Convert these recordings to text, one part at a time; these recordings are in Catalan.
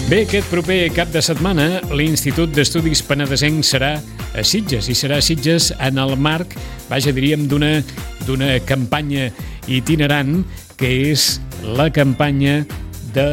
Bé, aquest proper cap de setmana l'Institut d'Estudis Penedesencs serà a Sitges, i serà a Sitges en el marc, diríem, d'una campanya itinerant, que és la campanya de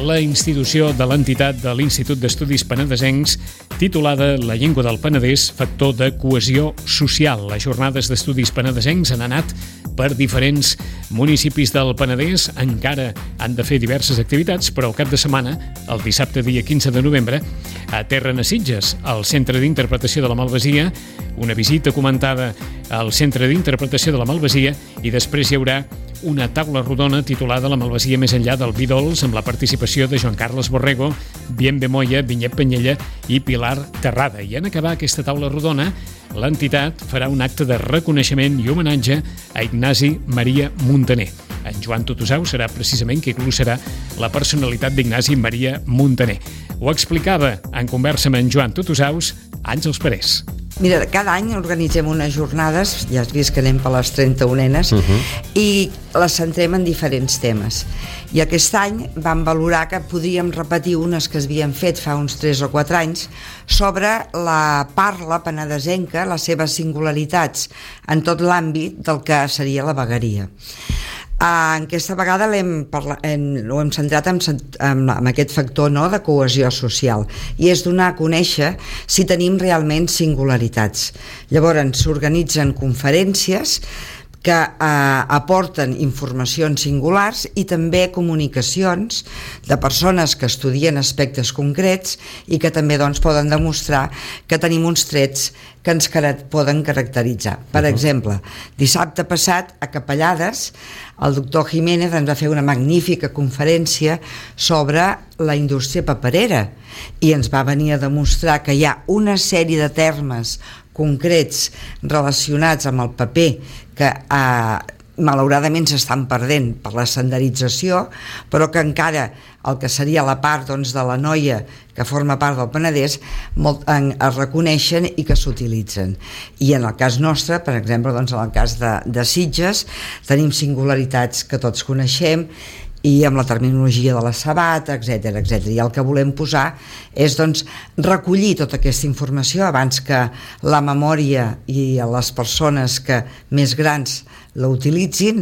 la institució de l'entitat de l'Institut d'Estudis Penedesencs, titulada La llengua del Penedès, factor de cohesió social. Les jornades d'estudis penedesencs han anat per diferents municipis del Penedès, encara han de fer diverses activitats, però el cap de setmana, el dissabte dia 15 de novembre, aterren a Sitges, al Centre d'Interpretació de la Malvasia, una visita comentada al Centre d'Interpretació de la Malvasia, i després hi haurà una taula rodona titulada La Malvasia més enllà del vi dolç, amb la participació de Joan Carles Borrego, Bienve Moya, Vinyet Penyella i Pilar Terrada. I en acabar aquesta taula rodona, l'entitat farà un acte de reconeixement i homenatge a Ignasi Maria Muntaner. En Joan Tutusau serà precisament qui glossarà la personalitat d'Ignasi Maria Muntaner. Ho explicava en conversa amb en Joan Tutusaus, Àngels Parés. Mira, cada any organitzem unes jornades, ja has vist que anem per les 31enes, i les centrem en diferents temes. I aquest any vam valorar que podríem repetir unes que s'havien fet fa uns 3 o 4 anys sobre la parla penedesenca, les seves singularitats en tot l'àmbit del que seria la vegueria. Aquesta vegada ho hem centrat en aquest factor, no?, de cohesió social, i és donar a conèixer si tenim realment singularitats. Llavors s'organitzen conferències que aporten informacions singulars i també comunicacions de persones que estudien aspectes concrets i que també poden demostrar que tenim uns trets que ens poden caracteritzar. Per exemple, dissabte passat a Capellades el doctor Jiménez ens va fer una magnífica conferència sobre la indústria paperera i ens va venir a demostrar que hi ha una sèrie de termes concrets relacionats amb el paper que malauradament s'estan perdent per la estandarització, però que encara el que seria la part de la noia que forma part del Penedès es reconeixen i que s'utilitzen. I en el cas nostre, per exemple, en el cas de Sitges, tenim singularitats que tots coneixem, i amb la terminologia de la sabata, etc. I el que volem posar és recollir tota aquesta informació abans que la memòria i les persones que més grans la utilitzin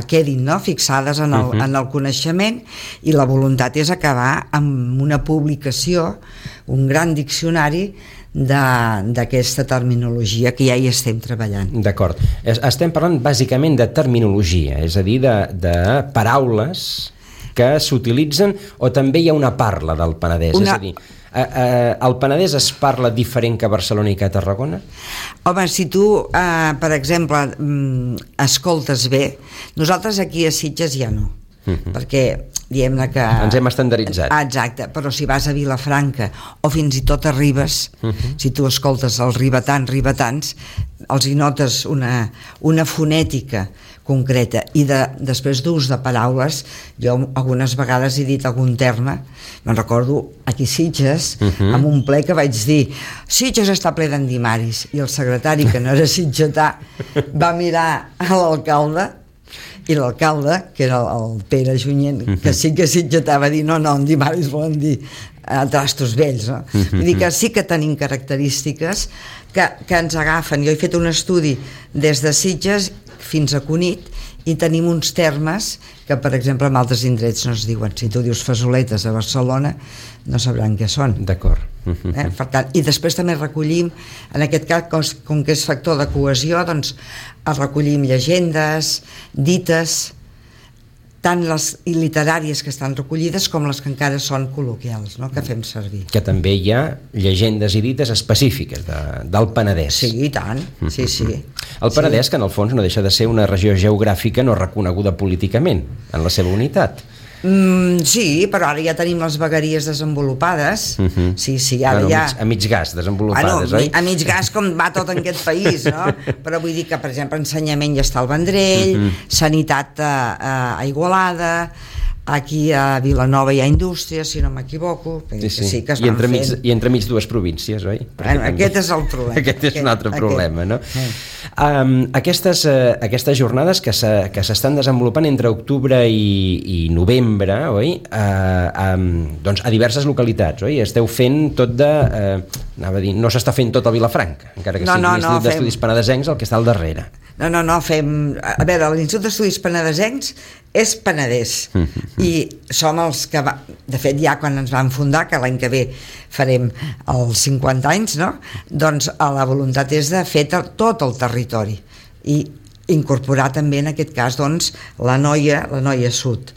quedin fixades en el coneixement, i la voluntat és acabar amb una publicació, un gran diccionari d'aquesta terminologia que ja hi estem treballant. D'acord. Estem parlant bàsicament de terminologia, és a dir, de paraules que s'utilitzen, o també hi ha una parla del Penedès? És a dir, al Penedès es parla diferent que a Barcelona i que a Tarragona? Home, si tu, per exemple, escoltes bé, nosaltres aquí a Sitges ja no, perquè diguem-ne que... Ens hem estandarditzat. Exacte, però si vas a Vilafranca o fins i tot a Ribes, si tu escoltes els ribetans, els hi notes una fonètica concreta, i després d'ús de paraules, jo algunes vegades he dit algun terme, me'n recordo aquí a Sitges, en un ple que vaig dir Sitges està ple d'endimaris, i el secretari, que no era sitgetà, va mirar a l'alcalde, i l'alcalde, que era el Pere Junyent, que sí que sitgetà, va dir no, endimaris volen dir trastos vells, no? Vull dir que sí que tenim característiques que ens agafen. Jo he fet un estudi des de Sitges fins a Cunit i tenim uns termes que, per exemple, en altres indrets no es diuen. Si tu dius fasoletes a Barcelona, no sabran què són. D'acord. Per tant, i després també recollim, en aquest cas, com que és factor de cohesió, recollim llegendes, dites, tant les literàries que estan recollides com les que encara són col·loquials, no?, que fem servir. Que també hi ha llegendes i dites específiques del Penedès. Sí, i tant, sí. El Penedès, que en el fons no deixa de ser una regió geogràfica no reconeguda políticament en la seva unitat. Sí, però ara ja tenim les vegueries desenvolupades. Sí, ara ja... A mig gas desenvolupades, oi? A mig gas, com va tot en aquest país, no? Però vull dir que, per exemple, ensenyament ja està al Vendrell, sanitat a Igualada, aquí a Vilanova hi ha indústria, si no m'equivoco, sí que es van fent. I entremig dues províncies, oi? Aquest és el problema. Aquest és un altre problema, no? Aquestes jornades que s'estan desenvolupant entre octubre i novembre, oi? Doncs a diverses localitats, oi? Esteu fent tot de... anava a dir, no s'està fent tot a Vilafranca, encara que sigui l'Institut d'Estudis Penedesencs el que està al darrere. No, fem... A veure, l'Institut d'Estudis Penedesencs és Penedès i som els que... De fet, ja quan ens vam fundar, que l'any que ve farem els 50 anys, no? Doncs la voluntat és de fer tot el territori i incorporar també en aquest cas doncs, la noia sud,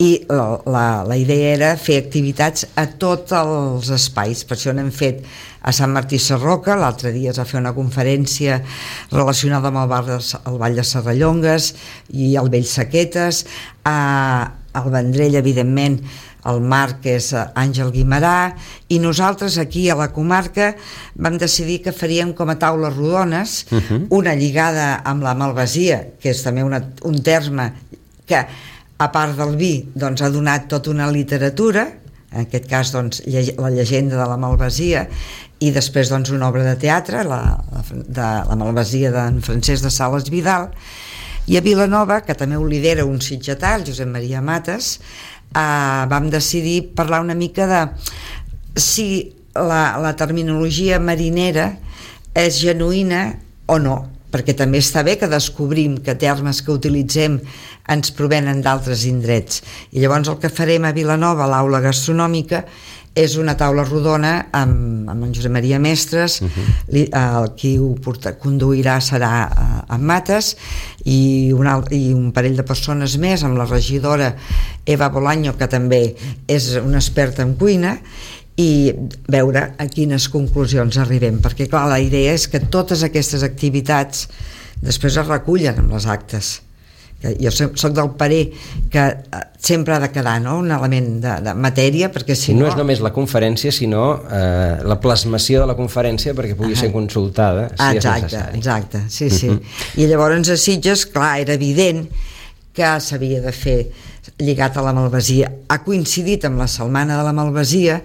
i la idea era fer activitats a tots els espais. Per això n'hem fet a Sant Martí Sarroca, l'altre dia es va fer una conferència relacionada amb el Vall de Serrallongues i el Vell Sequetes, al Vendrell evidentment el Marc és Àngel Guimerà, i nosaltres aquí a la comarca vam decidir que faríem com a taules rodones, una lligada amb la malvasia, que és també un terme que a part del vi doncs, ha donat tota una literatura, en aquest cas doncs, la llegenda de la malvasia, i després doncs, una obra de teatre, de la malvasia d'en Francesc de Sales Vidal, i a Vilanova, que també ho lidera un sitgetà, el Josep Maria Mates, vam decidir parlar una mica de si la terminologia marinera és genuïna o no, perquè també està bé que descobrim que termes que utilitzem ens provenen d'altres indrets. I llavors el que farem a Vilanova, a l'aula gastronòmica, és una taula rodona amb en Josep Maria Mestres, qui ho conduirà serà en Mates, i un parell de persones més, amb la regidora Eva Bolaño, que també és una experta en cuina, i veure a quines conclusions arribem, perquè clar, la idea és que totes aquestes activitats després es recullen amb les actes. Jo soc del parer que sempre ha de quedar, no? Un element de matèria, perquè si no... No és només la conferència, sinó la plasmació de la conferència perquè pugui ser consultada si és necessari. Exacte, sí. I llavors a Sitges, clar, era evident que s'havia de fer lligat a la malvasia. Ha coincidit amb la Setmana de la Malvasia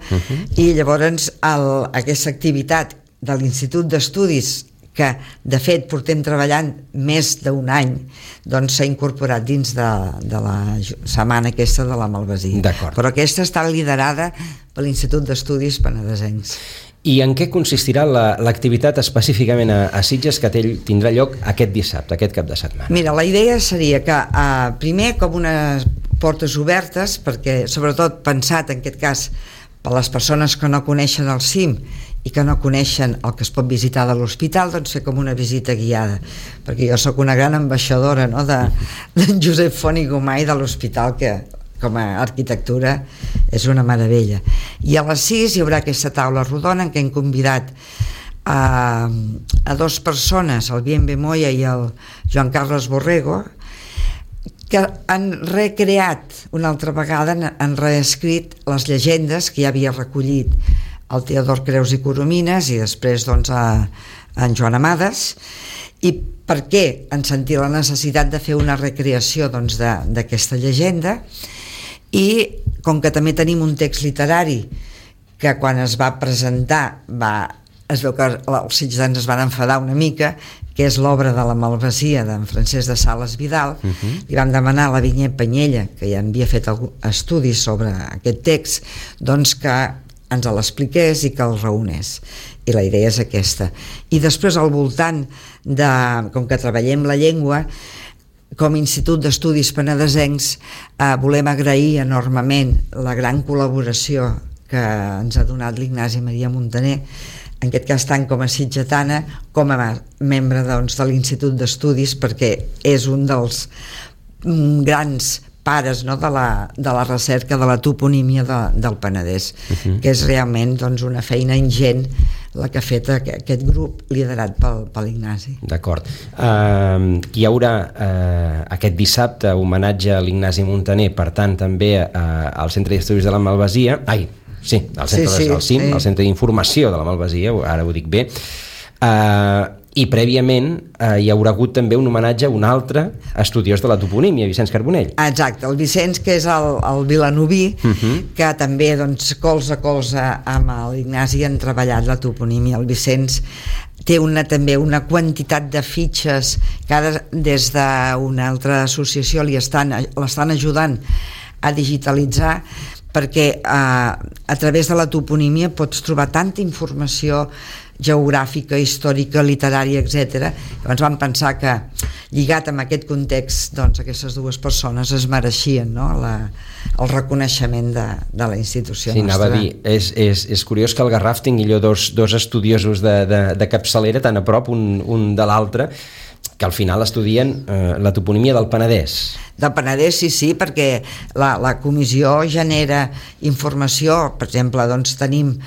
i llavors aquesta activitat de l'Institut d'Estudis, que de fet portem treballant més d'un any, doncs s'ha incorporat dins de la setmana aquesta de la malvasia. Però aquesta està liderada per l'Institut d'Estudis Penedesencs. I en què consistirà l'activitat específicament a Sitges que tindrà lloc aquest dissabte, aquest cap de setmana? Mira, la idea seria que primer com unes portes obertes, perquè sobretot pensat en aquest cas per les persones que no coneixen el CIM i que no coneixen el que es pot visitar de l'hospital, doncs fer com una visita guiada, perquè jo sóc una gran ambaixadora, no, d'en Josep Font i Gomà i de l'hospital, que com a arquitectura és una meravella. I a les 6 hi haurà aquesta taula rodona en què hem convidat a dues persones, el Bienve Moya i el Joan Carles Borrego, que han recreat una altra vegada, han reescrit les llegendes que ja havia recollit el Teodor Creus i Coromines i després doncs en Joan Amades. I per què han sentit la necessitat de fer una recreació doncs, d'aquesta llegenda, i com que també tenim un text literari que quan es va presentar es veu que els sitgetans es van enfadar una mica, que és l'obra de la malvasia d'en Francesc de Sales Vidal, li vam demanar a la Vinyet Penyella, que ja havia fet estudis sobre aquest text, doncs que ens l'expliqués i que el reunés, i la idea és aquesta. I després al voltant com que treballem la llengua, com a Institut d'Estudis Penedesencs volem agrair enormement la gran col·laboració que ens ha donat l'Ignasi Maria Montaner, en aquest cas tant com a sitgetana com a membre doncs, de l'Institut d'Estudis, perquè és un dels grans pares, no, de la recerca de la toponímia del Penedès, que és realment doncs, una feina ingent la que ha fet aquest grup liderat per l'Ignasi. D'acord. Hi haurà aquest dissabte homenatge a l'Ignasi Montaner, per tant també al Centre d'Estudis de la Malvasia, al Centre d'Informació de la Malvasia, ara ho dic bé, I prèviament hi haurà hagut també un homenatge a un altre estudiós de la toponímia, Vicenç Carbonell. Exacte, el Vicenç, que és el vilanoví, que també doncs, colze a colze amb l'Ignasi han treballat la toponímia. El Vicenç té també una quantitat de fitxes que ara des d'una altra associació l'estan ajudant a digitalitzar, perquè a través de la toponímia pots trobar tanta informació geogràfica, històrica, literària, etc. Llavors vam pensar que, lligat amb aquest context, doncs aquestes dues persones es mereixien, no? El reconeixement de la institució nostra. Anava a dir, és curiós que el Garraf tingui allò dos estudiosos de capçalera tan a prop un de l'altre, que al final estudien la toponímia del Penedès. Del Penedès, sí, perquè la comissió genera informació. Per exemple, doncs tenim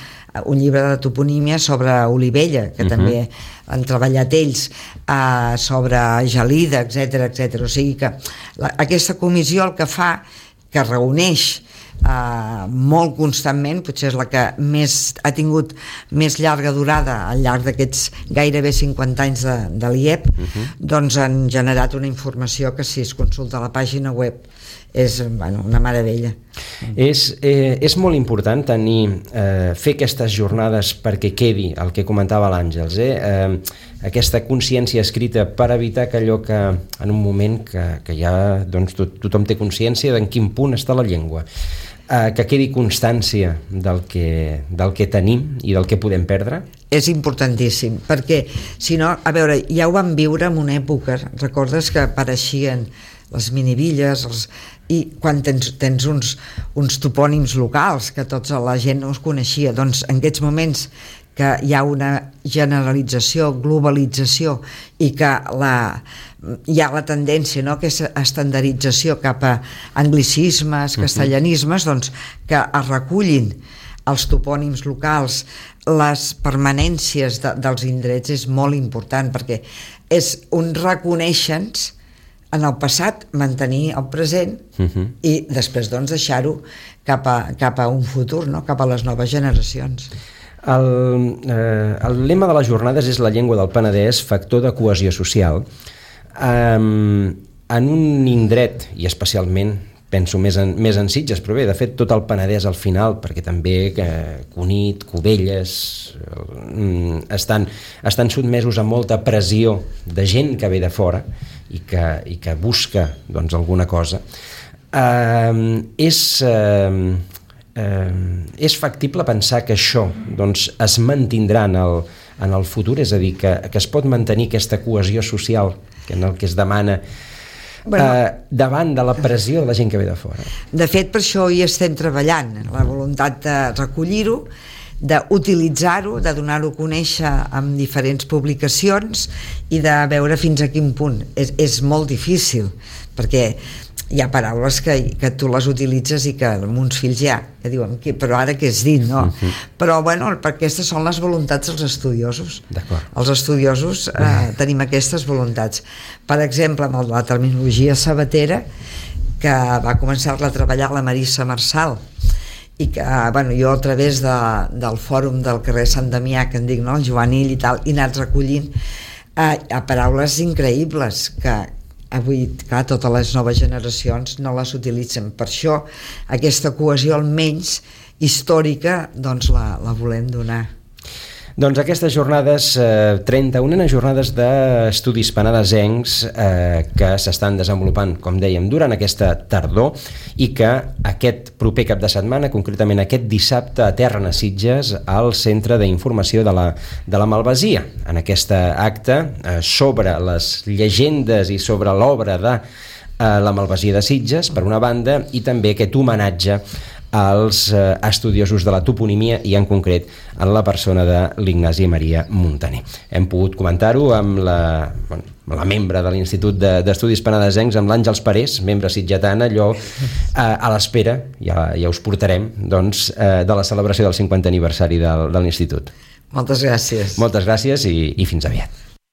un llibre de toponímia sobre Olivella, que també han treballat ells, sobre Gelida, etc. O sigui que aquesta comissió el que fa, que reuneix molt constantment, potser és la que ha tingut més llarga durada al llarg d'aquests gairebé 50 anys de l'IEP, doncs han generat una informació que, si es consulta a la pàgina web, és una meravella. És molt important fer aquestes jornades perquè quedi el que comentava l'Àngels, aquesta consciència escrita, per evitar que allò que en un moment que ja tothom té consciència d'en quin punt està la llengua, que quedi constància del que tenim i del que podem perdre. És importantíssim, perquè si no, a veure, ja ho vam viure en una època, recordes que apareixien les minivilles, i quan tens uns topònims locals que tota la gent no es coneixia, doncs en aquests moments que hi ha una generalització, globalització, i que hi ha la tendència, no?, que és estandardització cap a anglicismes, castellanismes, doncs que es recullin els topònims locals, les permanències dels indrets, és molt important, perquè és un reconèixer-nos en el passat, mantenir el present i després doncs deixar-ho cap a un futur, no?, cap a les noves generacions. El lema de les jornades és la llengua del Penedès, factor de cohesió social. En un indret, i especialment penso més en Sitges, però bé, de fet tot el Penedès al final, perquè també Cunit, Cubelles estan sotmesos a molta pressió de gent que ve de fora i que busca doncs alguna cosa, és factible pensar que això doncs es mantindrà en el futur, és a dir, que es pot mantenir aquesta cohesió social en el que es demana davant de la pressió de la gent que ve de fora. De fet, per això hi estem treballant, la voluntat de recollir-ho, d'utilitzar-ho, de donar-ho a conèixer amb diferents publicacions i de veure fins a quin punt. És molt difícil, perquè hi ha paraules que tu les utilitzes i que uns fills que diuen, però ara què has dit, no? Però bueno, perquè aquestes són les voluntats dels estudiosos. Els estudiosos tenim aquestes voluntats. Per exemple, amb la terminologia sabatera, que va començar-la a treballar la Marissa Marçal, i que jo a través del fòrum del carrer Sant Damià, que en dic, no?, el juvenil i tal, he anat recollint paraules increïbles que avui, clar, totes les noves generacions no les utilitzen. Per això aquesta cohesió, almenys històrica, doncs la volem donar. Doncs aquestes jornades, 31 jornades d'estudis penedesencs que s'estan desenvolupant, com dèiem, durant aquesta tardor, i que aquest proper cap de setmana, concretament aquest dissabte, aterren a Sitges, al Centre d'Informació de la Malvasia, en aquest acte sobre les llegendes i sobre l'obra de la Malvasia de Sitges, per una banda, i també aquest homenatge als estudiosos de la toponímia i en concret en la persona de l'Ignasi Maria Muntaner. Hem pogut comentar-ho amb la membre de l'Institut d'Estudis Penedesencs, amb l'Àngels Parés, membre sitgetana, allò a l'espera, ja us portarem, doncs, de la celebració del 50è aniversari de l'Institut. Moltes gràcies. Moltes gràcies i fins aviat.